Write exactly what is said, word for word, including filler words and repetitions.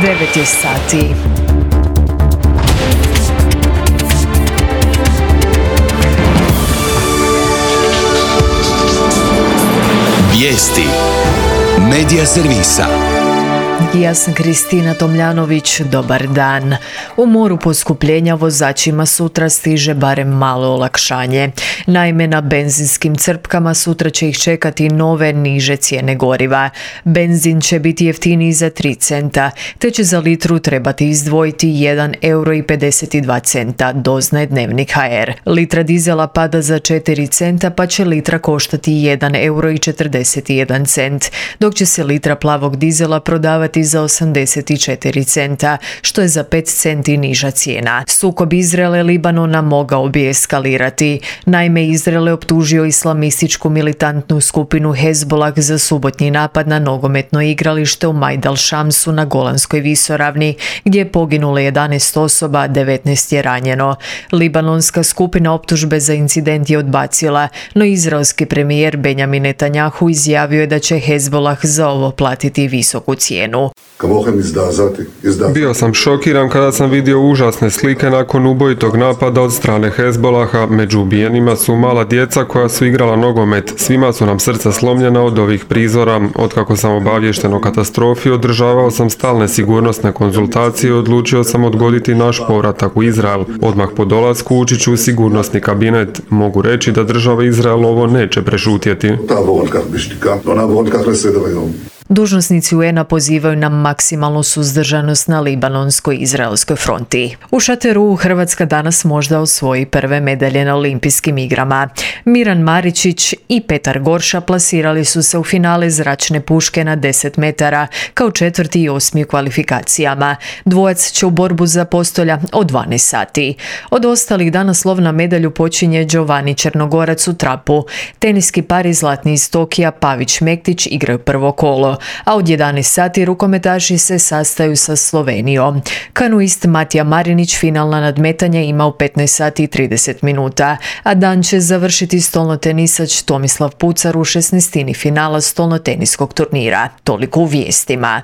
devet je sati. Vijesti Medija servisa. Ja sam Kristina Tomljanović, dobar dan. U moru poskupljenja vozačima sutra stiže barem malo olakšanje. Naime, na benzinskim crpkama sutra će ih čekati nove niže cijene goriva. Benzin će biti jeftiniji za tri centa, te će za litru trebati izdvojiti jedan euro i pedeset dva centa, doznaje Dnevnik ha er. Litra dizela pada za četiri centa, pa će litra koštati jedan euro i četrdeset jedan cent, dok će se litra plavog dizela prodavati za osamdeset četiri centa, što je za pet centi niža cijena. Sukob Izraela i Libanona mogao bi eskalirati. Naime, Izrael je optužio islamističku militantnu skupinu Hezbollah za subotnji napad na nogometno igralište u Majdal Šamsu na Golanskoj visoravni, gdje je poginulo jedanaest osoba, a devetnaest je ranjeno. Libanonska skupina optužbe za incident je odbacila, no izraelski premijer Benjamin Netanjahu izjavio je da će Hezbollah za ovo platiti visoku cijenu. Bio sam šokiran kada sam vidio užasne slike nakon ubojitog napada od strane Hezbollaha. Među ubijenima su mala djeca koja su igrala nogomet. Svima su nam srca slomljena od ovih prizora. Otkako sam obaviješten o katastrofi, održavao sam stalne sigurnosne konzultacije i odlučio sam odgoditi naš povratak u Izrael. Odmah po dolasku ući ću u sigurnosni kabinet. Mogu reći da država Izrael ovo neće prešutjeti. Dužnosnici u en a pozivaju na maksimalnu suzdržanost na libanonsko-izraelskoj fronti. U šateru Hrvatska danas možda osvoji prve medalje na olimpijskim igrama. Miran Maričić i Petar Gorša plasirali su se u finale zračne puške na deset metara kao četvrti i osmi u kvalifikacijama. Dvojac će u borbu za postolja od dvanaest sati. Od ostalih danas lov na medalju počinje Giovanni Črnogorac u trapu. Teniski par iz Zlatni iz Tokija Pavić Mektić igraju prvo kolo, a od jedanaest sati rukometaši se sastaju sa Slovenijom. Kanuist Matija Marinić finalna nadmetanja ima u petnaest sati i trideset minuta, a dan će završiti stolnotenisač Tomislav Pucar u šesnaestini finala stolnoteniskog turnira. Toliko u vijestima.